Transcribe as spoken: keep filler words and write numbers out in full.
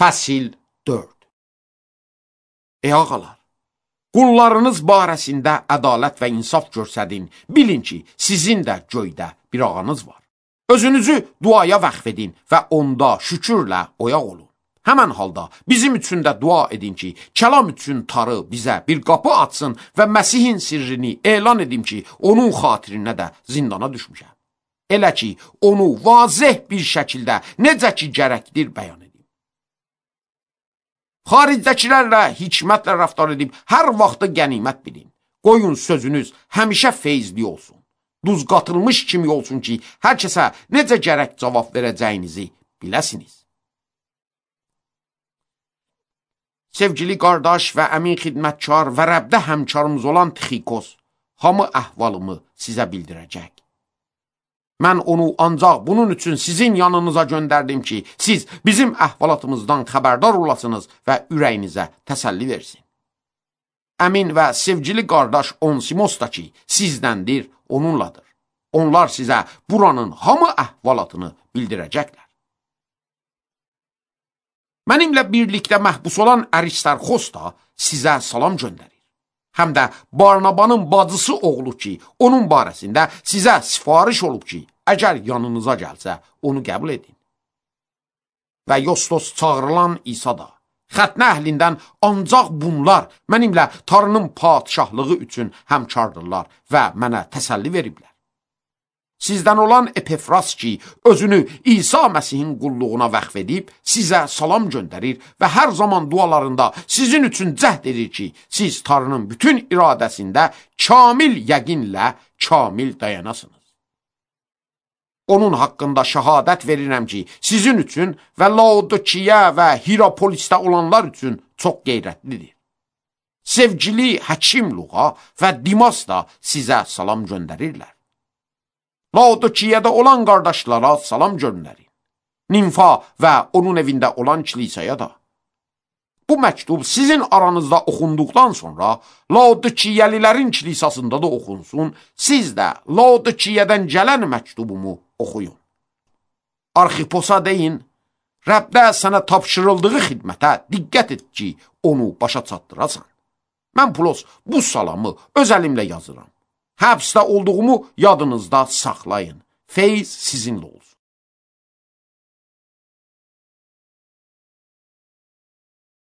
Fəsil dörd. Ey ağalar, qullarınız barəsində ədalət və insaf göstərin. Bilin ki, sizin də göydə bir ağanız var. Özünüzü duaya vəqf edin və onda şükürlə oyaq olun. Həmən halda bizim üçün də dua edin ki, kəlam üçün Tanrı bizə bir qapı açsın və Məsihin sirrini elan edim ki, onun xatirinə də zindana düşmüşəm. Elə ki, onu vazih bir şəkildə necə ki gərəkdir bəyan edim. Xaricdəkilərlə hikmətlə rəftar edib hər vaxtı qənimət bilin. Qoyun sözünüz həmişə feyzli olsun. Duz qatılmış kimi olsun ki, hər kəsə necə gərək cavab verəcəyinizi biləsiniz. Sevgili qardaş və əmin xidmətkar və Rəbdə həmkarımız olan Tixikos, hamı əhvalımı sizə bildirəcək. Mən onu ancaq bunun üçün sizin yanınıza göndərdim ki, siz bizim əhvalatımızdan xəbərdar olasınız və ürəyinizə təsəlli versin. Əmin və sevgili qardaş Onsimos da ki, sizdəndir, onunladır. Onlar sizə buranın hamı əhvalatını bildirəcəklər. Mənimlə birlikdə məhbus olan Aristarxos da sizə salam göndərir. Həm də Barnabanın bacısı oğlu ki, onun barəsində sizə sifariş olub ki, əgər yanınıza gəlsə, onu qəbul edin. Və Yostos çağırılan İsa da, xətnə əhlindən ancaq bunlar mənimlə Tanrının padişahlığı üçün həmkardırlar və mənə təsəlli veriblər. Sizdən olan Epefras ki, özünü İsa Məsihin qulluğuna vəqf edib, sizə salam göndərir və hər zaman dualarında sizin üçün cəhd edir ki, siz Tanrının bütün iradəsində kamil yəqinlə kamil dayanasınız. Onun haqqında şəhadət verirəm ki, sizin üçün və Laodikiya və Hirapolisdə olanlar üçün çox qeyrətlidir. Sevgili Həkim Luqa və Dimas da sizə salam göndərirlər. Laodikiyada olan qardaşlara salam göndərin. Nimfa və onun evində olan kilisaya da. Bu məktub sizin aranızda oxunduqdan sonra Laodikiyəlilərin kilisasında da oxunsun, siz də Laodikiyədən gələn məktubumu oxuyun. Arxiposa deyin, Rəbdə sənə tapşırıldığı xidmətə diqqət et ki, onu başa çatdırasan. Mən Pulos bu salamı öz əlimlə yazıram. Həbsdə olduğumu yadınızda saxlayın. Feyz sizinlə olsun.